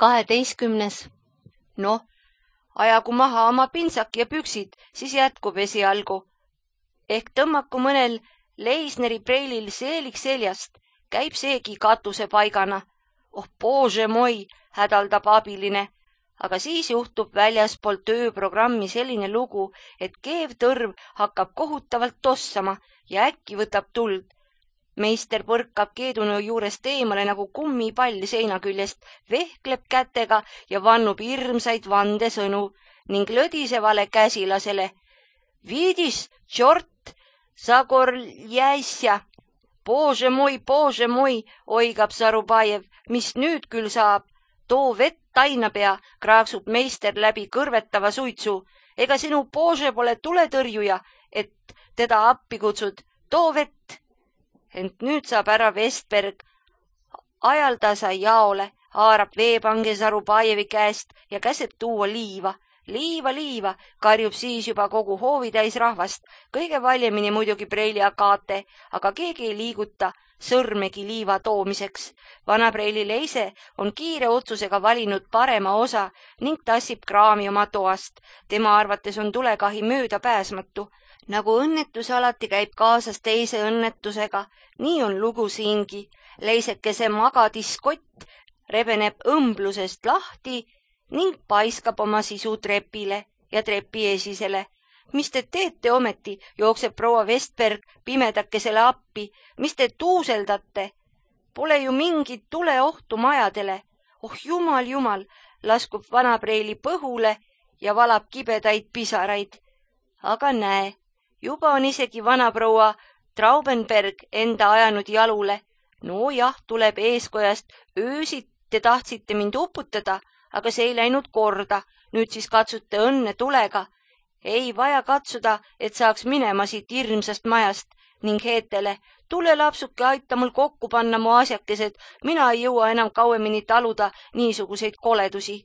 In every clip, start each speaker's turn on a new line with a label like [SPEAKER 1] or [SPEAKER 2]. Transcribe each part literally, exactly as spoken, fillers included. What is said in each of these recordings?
[SPEAKER 1] kaheteistkümnes. Noh, ajagu maha oma pintsak ja püksid, siis jätkub esialgu. Ehk tõmmaku mõnel Leisneri preilil seelik seljast, käib seegi katuse paigana. Oh, bože moi, hädaldab abiline. Aga siis juhtub väljaspool tööprogrammi selline lugu, et keevtõrv hakkab kohutavalt tossama ja äkki võtab tuld. Meister põrkab keedunõu juurest eemale nagu kummipall seina küljest, vehkleb kätega ja vannub hirmsaid vandesõnu ning lõdisevale käsilasele. Viidis, tšort, sagorljäsja. Bože moi, bože moi, oigab Zarubajev, mis nüüd küll saab. Too vett tainapea, kraaksub meister läbi kõrvetava suitsu. Ega sinu bože pole tuletõrjuja, et teda appi kutsud. Too vett. Ent nüüd saab ära Vestberg. Ajal ta sai jaole, haarab veepange Zarubajevi käest ja käseb tuua liiva. Liiva, liiva, karjub siis juba kogu hoovitäis rahvast. Kõige valjemini muidugi preili Agate, aga keegi ei liiguta sõrmegi liiva toomiseks. Vana preili Leise on kiire otsusega valinud parema osa ning tassib kraami oma toast. Tema arvates on tulekahi mööda pääsmatu. Nagu õnnetus alati käib kaasas teise õnnetusega, nii on lugu siingi. Leisekese magadiskott rebeneb õmblusest lahti ning paiskab oma sisu trepile ja trepi esisele. Mis te teete ometi, jookseb proua Vestberg pimedakesele appi. Mis te tuuseldate? Pole ju mingit tuleohtu majadele. Oh jumal, jumal, laskub vanapreili põhule ja valab kibedaid pisaraid. Aga näe, juba on isegi vanaproua Traubenberg enda ajanud jalule. No jah, tuleb eeskojast, öösid te tahtsite mind uputada, aga see ei läinud korda. Nüüd siis katsute õnne tulega. Ei vaja katsuda, et saaks minema siit hirmsast majast ning Heetele. Tule lapsuke, aita mul kokku panna mu asjakesed. Mina ei jõua enam kauemini taluda niisuguseid koledusi.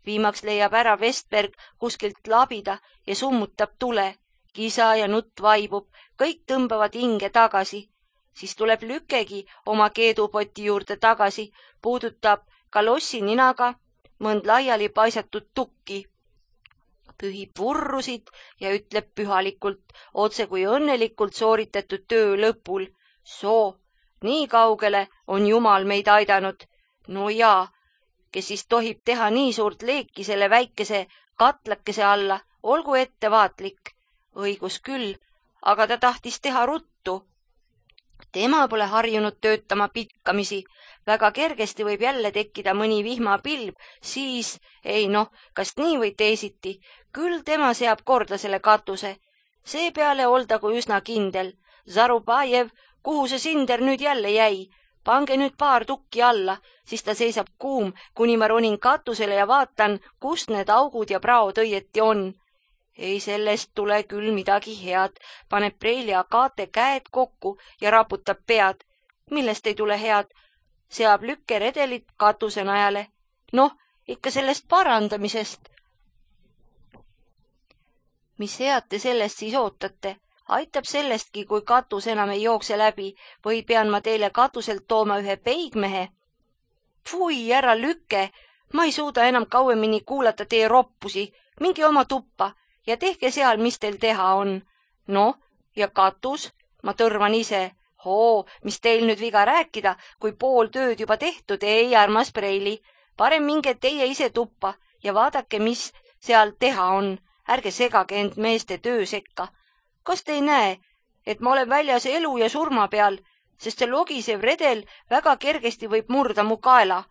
[SPEAKER 1] Viimaks leiab ära Vestberg kuskilt labida ja summutab tule. Kisa ja nutt vaibub, kõik tõmbavad hinge tagasi. Siis tuleb Lükegi oma keedupoti juurde tagasi, puudutab kalossi ninaga mõnd laiali paisatud tukki. Pühib vurrusid ja ütleb pühalikult, otse kui õnnelikult sooritatud töö lõpul. Soo, nii kaugele on Jumal meid aidanud. No jaa, kes siis tohib teha nii suurt leeki selle väikese katlakese alla, olgu ettevaatlik. Õigus küll, aga ta tahtis teha ruttu. Tema pole harjunud töötama pitkamisi. Väga kergesti võib jälle tekkida mõni vihmapilv, siis, ei noh, kas nii või teisiti, küll tema seab korda selle katuse. Seepeale oldagu üsna kindel. Zarubajev, kuhu see sinder nüüd jälle jäi? Pange nüüd paar tukki alla, siis ta seisab kuum, kuni ma ronin katusele ja vaatan, kus need augud ja praod õieti on. Ei, sellest tule küll midagi head, paneb preili Agate käed kokku ja raputab pead. Millest ei tule head? Seab Lükke redelit katuse najale. Noh, ikka sellest parandamisest. Mis head te sellest siis ootate? Aitab sellestki, kui katus enam ei jookse läbi või pean ma teile katuselt tooma ühe peigmehe? Fui, ära Lükke, ma ei suuda enam kauemini kuulata teie roppusi. Mingi oma tuppa ja tehke seal, mis teil teha on. No, ja katus, ma tõrvan ise. Hoo, mis teil nüüd viga rääkida, kui pool tööd juba tehtud, ei armas preili. Parem minge teie ise tuppa ja vaadake, mis seal teha on. Ärge segage end meeste töö sekka. Kas te ei näe, et ma olen väljas elu ja surma peal, sest see logisev redel väga kergesti võib murda mu kaela.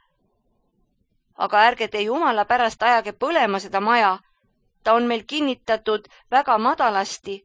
[SPEAKER 1] Aga ärge te jumala pärast ajage põlema seda maja. Ta on meil kinnitatud väga madalasti.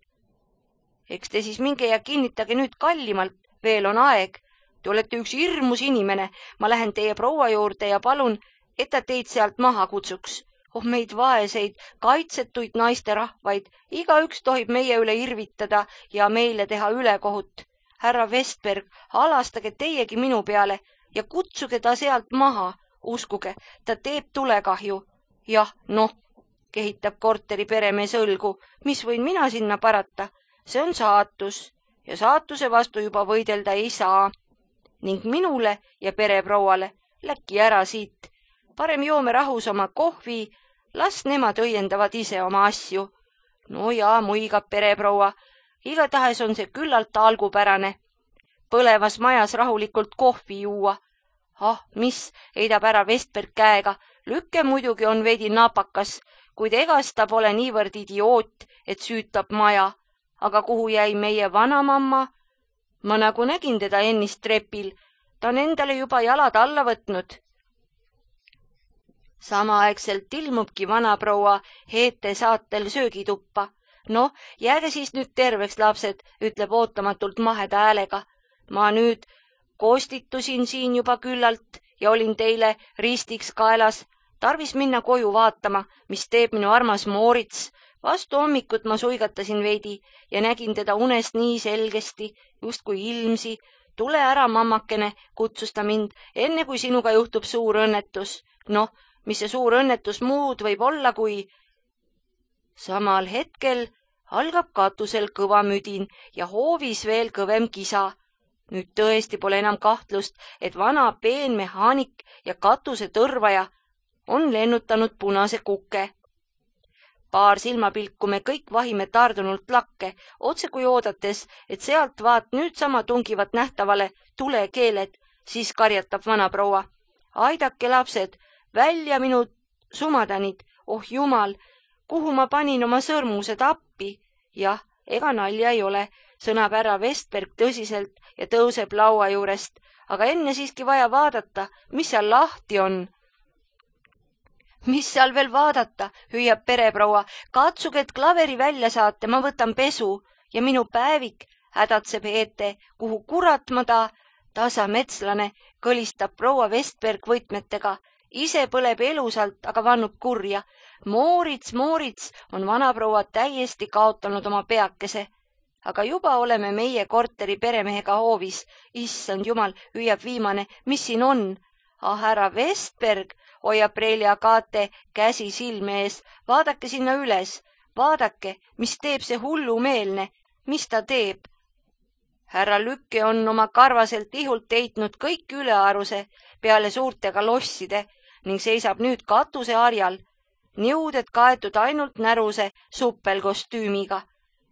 [SPEAKER 1] Eks te siis minge ja kinnitage nüüd kallimalt, veel on aeg. Te olete üks hirmus inimene. Ma lähen teie proua juurde ja palun, et ta teid sealt maha kutsuks. Oh, meid vaeseid, kaitsetuid naisterahvaid. Igaüks tohib meie üle irvitada ja meile teha ülekohut. Härra Vestberg, alastage teiegi minu peale ja kutsuge ta sealt maha. Uskuge, ta teeb tulekahju. Jah, noh, kehitab korteri peremees õlgu. Mis võin mina sinna parata? See on saatus ja saatuse vastu juba võidelda ei saa. Ning minule ja pereprouale läki ära siit. parem joome rahus oma kohvi, las nemad õiendavad ise oma asju. No jaa, muigab pereproua, igatahes on see küllalt algupärane. Põlevas majas rahulikult kohvi juua. Ah, mis, heidab ära Vestberg käega, Lükke muidugi on veidi napakas, kuid egas ta pole niivõrd idioot, et süütab maja. Aga kuhu jäi meie vanamamma? Ma nagu nägin teda ennist trepil, ta on endale juba jalad alla võtnud. Samaaegselt ilmubki vanaproua Heete saatel söögituppa. No, jääge siis nüüd terveks, lapsed, ütleb ootamatult maheda häälega. Ma nüüd kostitusin siin juba küllalt ja olin teile ristiks kaelas. Tarvis minna koju vaatama, mis teeb minu armas Moorits. Vastu hommikut ma suigatasin veidi ja nägin teda unest nii selgesti, just kui ilmsi. Tule ära, mammakene, kutsus ta mind, enne kui sinuga juhtub suur õnnetus. Noh, mis see suur õnnetus muud võib olla, kui... Samal hetkel algab katusel kõva müdin ja hoovis veel kõvem kisa. Nüüd tõesti pole enam kahtlust, et vana peenmehaanik ja katuse tõrvaja on lennutanud punase kukke. Paar silmapilku me kõik vahime tardunult lakke, otse kui oodates, et sealt vaat nüüd sama tungivat nähtavale tulekeeled, siis karjatab vanaproua. Aidake, lapsed, välja minu sumadanid, oh jumal, kuhu ma panin oma sõrmused appi? Jah, ega nalja ei ole, sõnab härra Vestberg tõsiselt ja tõuseb laua juurest, aga enne siiski vaja vaadata, mis seal lahti on. Mis seal veel vaadata, hüüab pereproua, katsuge, et klaveri välja saate, ma võtan pesu ja minu päevik, hädatseb Heete, kuhu kurat ma ta, tasa metslane, kõlistab proua Vestberg võtmetega, ise põleb elusalt, aga vannub kurja. Moorits, Moorits on vanaproua täiesti kaotanud oma peakese. Aga juba oleme meie korteri peremehega hoovis. Issand jumal, hüüab viimane, mis siin on? Ah, härra Vestberg, hoiab Preili Agate käsi silme ees. Vaadake sinna üles. Vaadake, mis teeb see hullumeelne. Mis ta teeb? Härra Lükke on oma karvaselt ihult teitnud kõik ülearuse peale suurte kalosside ning seisab nüüd katuse harjal. Niuded kaetud ainult näruse suppelkostüümiga.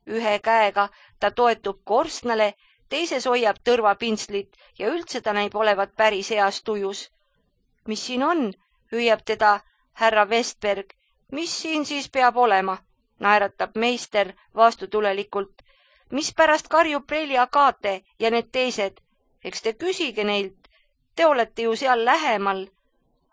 [SPEAKER 1] Ühe käega ta toetub korstnale, teises hoiab tõrvapinslit ja üldse ta näib olevat päris heas tujus. Mis siin on? Hüüab teda härra Vestberg. Mis siin siis peab olema? Naeratab meister vastutulelikult. Mis pärast karjub Preili Agate ja need teised? Eks te küsige neilt. Te olete ju seal lähemal.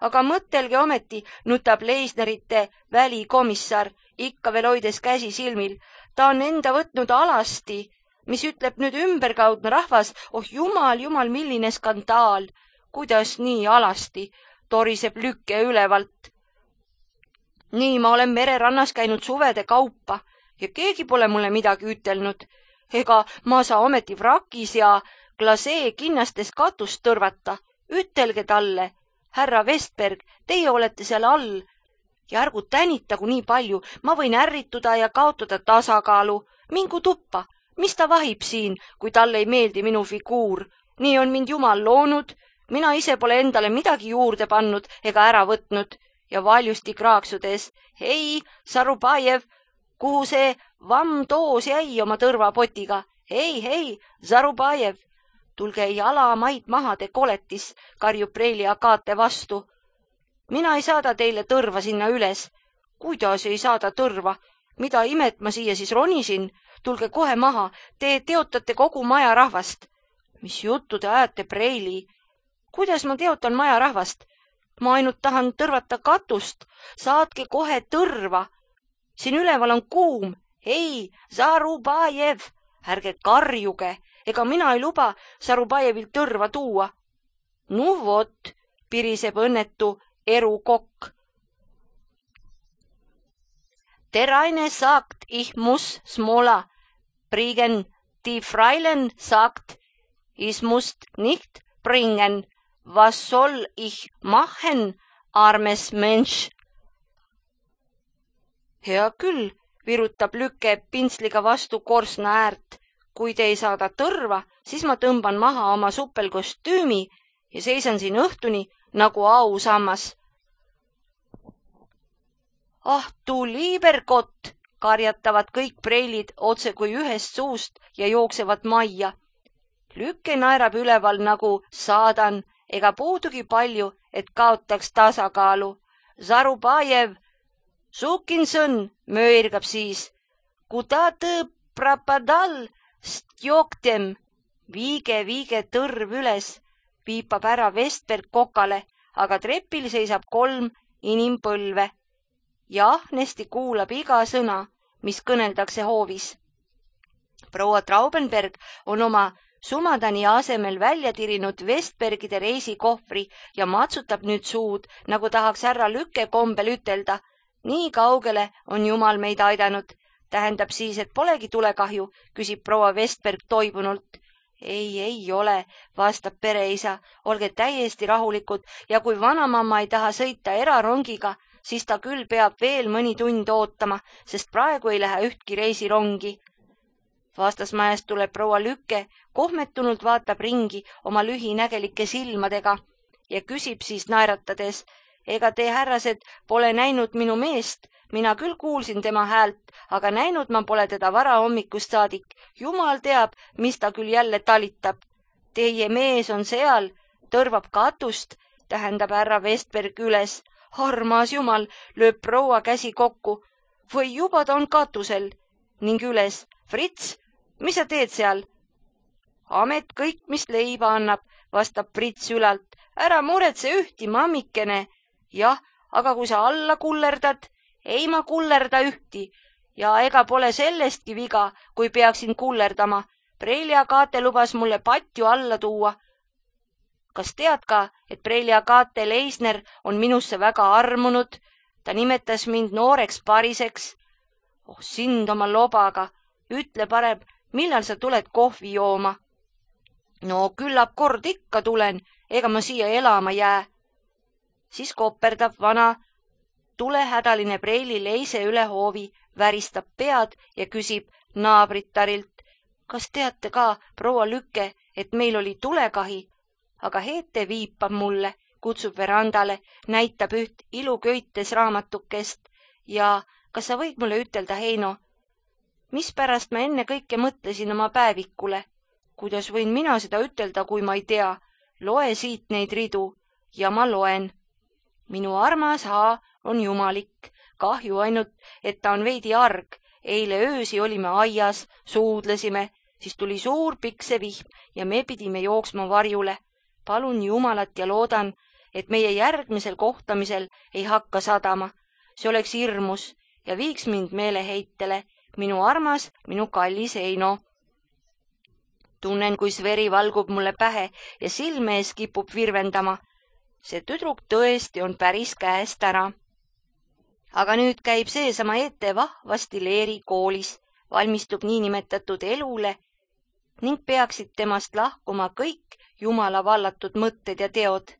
[SPEAKER 1] Aga mõtelge ometi, nutab Leisnerite välikomissar, ikka veel hoides käsi silmil. Ta on enda võtnud alasti, mis ütleb nüüd ümberkaudne rahvas. Oh jumal, jumal, milline skandaal. Kuidas nii alasti, toriseb Lükke ülevalt. Nii ma olen mererannas käinud suvede kaupa ja keegi pole mulle midagi ütelnud. Ega ma saa ometi vrakis ja glasee kinnastes katust tõrvata. Ütelge talle. Härra Vestberg, teie olete seal all. Ja ärgu tänitagu nii palju, ma võin ärrituda ja kaotada tasakaalu. Mingu tuppa, mis ta vahib siin, kui talle ei meeldi minu figuur? Nii on mind jumal loonud, mina ise pole endale midagi juurde pannud ega ära võtnud. Ja valjusti kraaksudes, hei, Zarubajev, kuhu see vamm toos jäi oma tõrvapotiga? Hei, hei, Zarubajev! Tulge jala maid maha, te koletis, karjub Preili Agate vastu. Mina ei saada teile tõrva sinna üles. Kuidas ei saada tõrva? Mida imet ma siia siis ronisin? Tulge kohe maha, te teotate kogu maja rahvast. Mis juttu te ajate, Preili? Kuidas ma teotan maja rahvast? Ma ainult tahan tõrvata katust. Saatke kohe tõrva. Siin üleval on kuum. Hei, Zarubajev, ärge karjuge. Ega mina ei luba Zarubajevilt tõrva tuua. Nu vot, piriseb õnnetu erukokk. Der eine sagt, ich muss smola bringen. Die Freilen sagt, ich muss nicht bringen. Was soll ich machen, armes Mensch? Hea küll, virutab Lükke pintsliga vastu korsna äärt. Kui te ei saada tõrva, siis ma tõmban maha oma suppelkostüümi ja seisan siin õhtuni nagu ausammas. Ah, tu liiberkott, karjatavad kõik preilid otse kui ühest suust ja jooksevad majja. Lükke naerab üleval nagu saadan, ega puudugi palju, et kaotaks tasakaalu. Zarubajev, Sukinsõn, möirgab siis. Kuda tõ prapadal stjoktem, viige, viige tõrv üles, piipab ära Vestberg kokale, aga trepil seisab kolm inimpõlve ja ahnesti kuulab iga sõna, mis kõneldakse hoovis. Proua Traubenberg on oma sumadani asemel välja tirinud Vestbergide reisikohvri ja matsutab nüüd suud, nagu tahaks härra Lükke kombel ütelda. Nii kaugele on Jumal meid aidanud. Tähendab siis, et polegi tulekahju, küsib proua Vestberg toibunult. Ei, ei ole, vastab pereisa, olge täiesti rahulikud ja kui vanamamma ei taha sõita erarongiga, siis ta küll peab veel mõni tund ootama, sest praegu ei lähe ühtki reisirongi. Vastasmäest tuleb proua Lükke, kohmetunult vaatab ringi oma lühinägelike silmadega ja küsib siis naeratades, ega te, härrased, pole näinud minu meest, mina küll kuulsin tema häält, aga näinud ma pole teda varahommikust saadik. Jumal teab, mis ta küll jälle talitab. Teie mees on seal, tõrvab katust, tähendab härra Vestberg üles. Armas Jumal, lööb proua käsi kokku. Või juba ta on katusel ning üles. Fritz, mis sa teed seal? Amet kõik, mis leiba annab, vastab Fritz ülalt. Ära muretse ühti, mammikene. Jah, aga kui sa alla kullerdad, ei ma kullerda ühti ja ega pole sellestki viga, kui peaksin kullerdama. Prelia Kaate lubas mulle patju alla tuua. Kas tead ka, et Prelia Kaate Leisner on minusse väga armunud? Ta nimetas mind nooreks pariseks. Oh, sind oma lobaga. Ütle parem, millal sa tuled kohvi jooma? No küllap kord ikka tulen, ega ma siia elama jää. Siis koperdab vana tulehädaline preili leise üle hoovi, väristab pead ja küsib naabrittarilt. Kas teate ka, proua Lükke, et meil oli tulekahi? Aga Heete viipab mulle, kutsub verandale, näitab üht iluköites raamatukest ja kas sa võid mulle ütelda, Heino, mispärast ma enne kõike mõtlesin oma päevikule? Kuidas võin mina seda ütelda, kui ma ei tea? Loe siit neid ridu ja ma loen. Minu armas H on jumalik. Kahju ainult, et ta on veidi arg. Eile öösi olime aias, suudlesime, siis tuli suur piksevihm ja me pidime jooksma varjule. Palun Jumalat ja loodan, et meie järgmisel kohtamisel ei hakka sadama. See oleks hirmus ja viiks mind meeleheitele. Minu armas, minu kallis Heino. Tunnen, kuis veri valgub mulle pähe ja silme ees kipub virvendama. See tüdruk tõesti on päris käest ära. Aga nüüd käib seesama Ete vahvasti Leeri koolis, valmistub niinimetatud elule ning peaksid temast lahkuma kõik Jumala vallatud mõtted ja teod.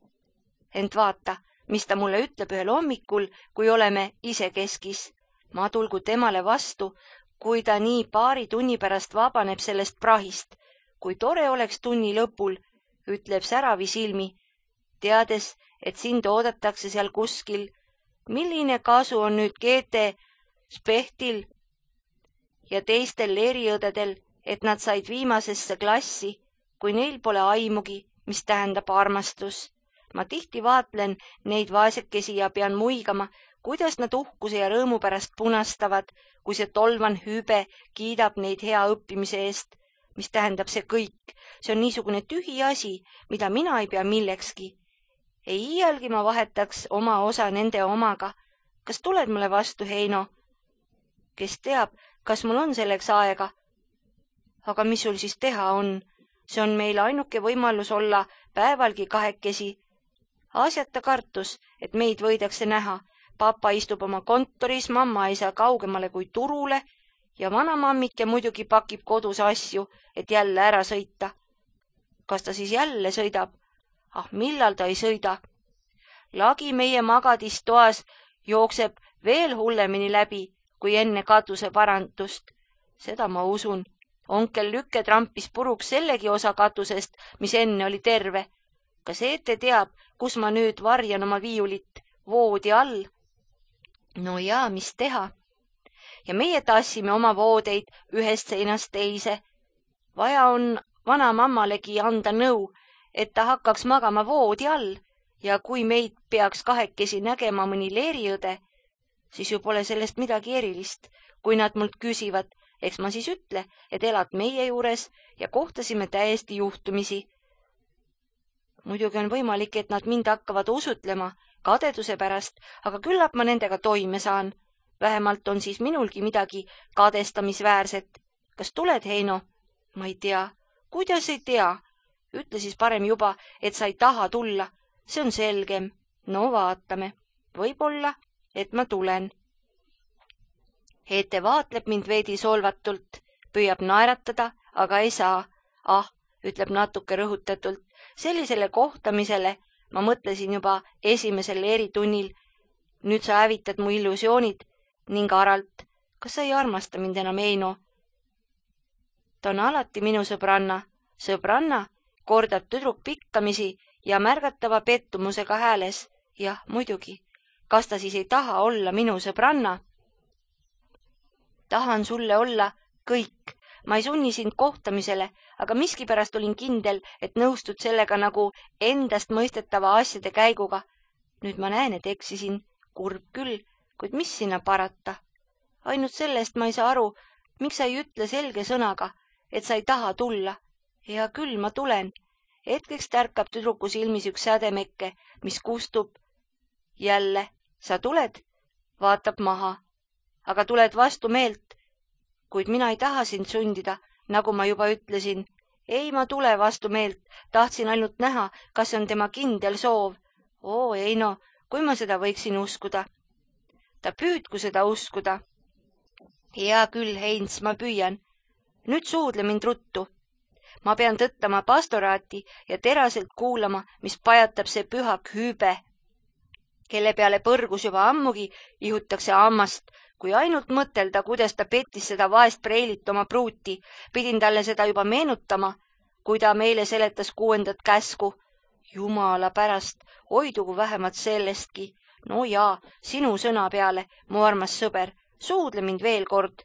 [SPEAKER 1] Ent vaata, mis ta mulle ütleb ühel hommikul, kui oleme isekeskis. Ma tulgu temale vastu, kui ta nii paari tunni pärast vabaneb sellest prahist. Kui tore oleks tunni lõpul, ütleb säravi silmi, teades, et sind oodatakse seal kuskil. Milline kasu on nüüd Geete Spehtil ja teistel leeriõdedel, et nad said viimasesse klassi, kui neil pole aimugi, mis tähendab armastus. Ma tihti vaatlen neid vaesekesi ja pean muigama, kuidas nad uhkuse ja rõõmu pärast punastavad, kui see tolvan hübe kiidab neid hea õppimise eest, mis tähendab see kõik. See on niisugune tühi asi, mida mina ei pea millekski. Ei iialgi ma vahetaks oma osa nende omaga. Kas tuled mulle vastu, Heino? Kes teab, kas mul on selleks aega? Aga mis sul siis teha on? See on meil ainuke võimalus olla päevalgi kahekesi. Asjata kartus, et meid võidakse näha. Papa istub oma kontoris, mamma ei saa kaugemale kui turule ja vanamammike muidugi pakib kodus asju, et jälle ära sõita. Kas ta siis jälle sõidab? Ah, millal ta ei sõida? Lagi meie magadistoas jookseb veel hullemini läbi, kui enne katuse parandust. Seda ma usun. Onkel Lükke trampis puruks sellegi osa katusest, mis enne oli terve. Kas Eete teab, kus ma nüüd varjan oma viiulit? Voodi all. No jaa, mis teha? Ja meie tassime oma voodeid ühest seinast teise. Vaja on vanamammalegi anda nõu, et ta hakkaks magama voodi all ja kui meid peaks kahekesi nägema mõni leeriõde, siis ju pole sellest midagi erilist. Kui nad mult küsivad, eks ma siis ütle, et elad meie juures ja kohtasime täiesti juhtumisi. Muidugi on võimalik, et nad mind hakkavad usutlema kadeduse pärast, aga küllap ma nendega toime saan. Vähemalt on siis minulgi midagi kadestamisväärset. Kas tuled, Heino? Ma ei tea. Kuidas ei tea? Ütle siis parem juba, et sa ei taha tulla. See on selgem. No vaatame. Võib-olla, et ma tulen. Ete vaatleb mind veidi solvatult, püüab naeratada, aga ei saa. Ah, ütleb natuke rõhutatult. Sellisele kohtamisele ma mõtlesin juba esimesel eritunnil. Nüüd sa hävitad mu illusioonid ning aralt. Kas sa ei armasta mind enam, Heino? Ta on alati minu sõbranna. Sõbranna, kordab tüdruk pikkamisi ja märgatava pettumusega hääles. Jah, muidugi. Kas ta siis ei taha olla minu sõbranna? Tahan sulle olla kõik. Ma ei sunni sind kohtamisele, aga miskipärast olin kindel, et nõustud sellega nagu endast mõistetava asjade käiguga. Nüüd ma näen, et eksisin. Kurb küll, kuid mis sinna parata? Ainult sellest ma ei saa aru, miks sa ei ütle selge sõnaga, et sa ei taha tulla. Hea küll, ma tulen. Hetkeks tärkab tüdruku silmis üks sädemekke, mis kustub. Jälle, sa tuled? Vaatab maha. Aga tuled vastu meelt. Kuid mina ei taha sind sundida, nagu ma juba ütlesin. Ei, ma tule vastu meelt. Tahtsin ainult näha, kas on tema kindel soov. Oo, ei no, kui ma seda võiksin uskuda. Ta püüdku seda uskuda. Hea küll, Heinz, ma püüan. Nüüd suudle mind ruttu. Ma pean tõttama pastoraati ja teraselt kuulama, mis pajatab see pühak hüübe, kelle peale põrgus juba ammugi ihutakse ammast. Kui ainult mõtelda, kuidas ta pettis seda vaest preilit oma pruuti, pidin talle seda juba meenutama, kui ta meile seletas kuuendat käsku. Jumala pärast, hoidugu vähemalt sellestki. No jaa, sinu sõna peale, mu armas sõber, suudle mind veel kord.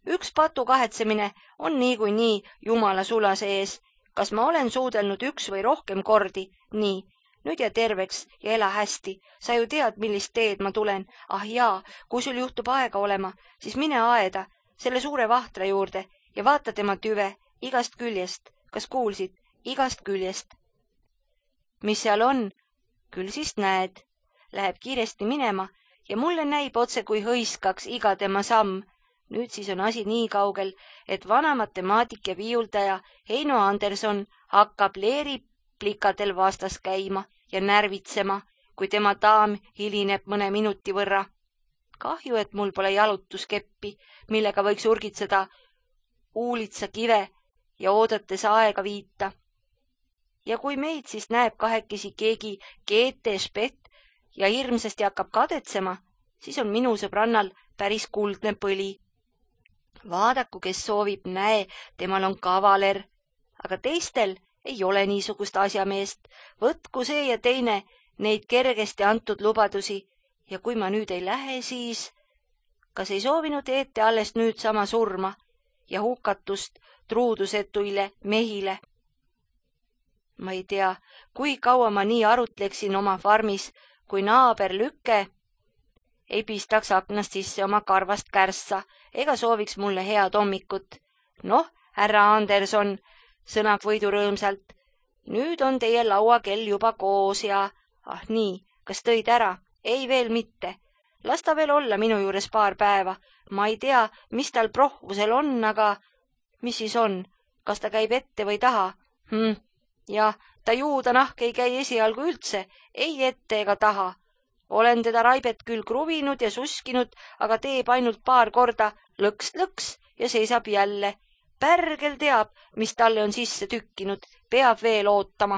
[SPEAKER 1] Üks patu kahetsemine on nii kui nii Jumala sulase ees. Kas ma olen suudelnud üks või rohkem kordi? Nii. Nüüd ja terveks ja ela hästi. Sa ju tead, millist teed ma tulen. Ah jaa, kui sul juhtub aega olema, siis mine aeda selle suure vahtra juurde ja vaata tema tüve igast küljest. Kas kuulsid? Igast küljest. Mis seal on? Küll siis näed. Läheb kiiresti minema ja mulle näib otse kui hõiskaks iga tema samm. Nüüd siis on asi nii kaugel, et vana matemaatik ja viiuldaja Heino Anderson hakkab leeri plikadel vastas käima ja närvitsema, kui tema daam hilineb mõne minuti võrra. Kahju, et mul pole jalutuskeppi, millega võiks urgitseda uulitsa kive ja oodates aega viita. Ja kui meid siis näeb kahekesi keegi Geete Spett ja hirmsasti hakkab kadetsema, siis on minu sõbrannal päris kuldne põli. Vaadaku, kes soovib, näe, temal on kavaler, aga teistel ei ole niisugust asjameest. Võtku see ja teine neid kergesti antud lubadusi ja kui ma nüüd ei lähe, siis kas ei soovinud Ete alles nüüd sama surma ja hukatust truudusetuile mehile? Ma ei tea, kui kaua ma nii arutleksin oma farmis, kui naaber Lüke ei pistaks aknast sisse oma karvast kärssa ega sooviks mulle head hommikut. Noh, härra Anderson, sõnab võidu rõõmsalt. Nüüd on teie lauakell juba koos ja... Ah nii, kas tõid ära? Ei veel mitte. Las ta veel olla minu juures paar päeva. Ma ei tea, mis tal prohvusel on, aga... Mis siis on? Kas ta käib ette või taha? Hm, jah, ta juuda nahk ei käi esialgu üldse. Ei ette ega taha. Olen teda raibet küll kruvinud ja suskinud, aga teeb ainult paar korda lõks-lõks ja seisab jälle. Pärgel teab, mis talle on sisse tükkinud, peab veel ootama.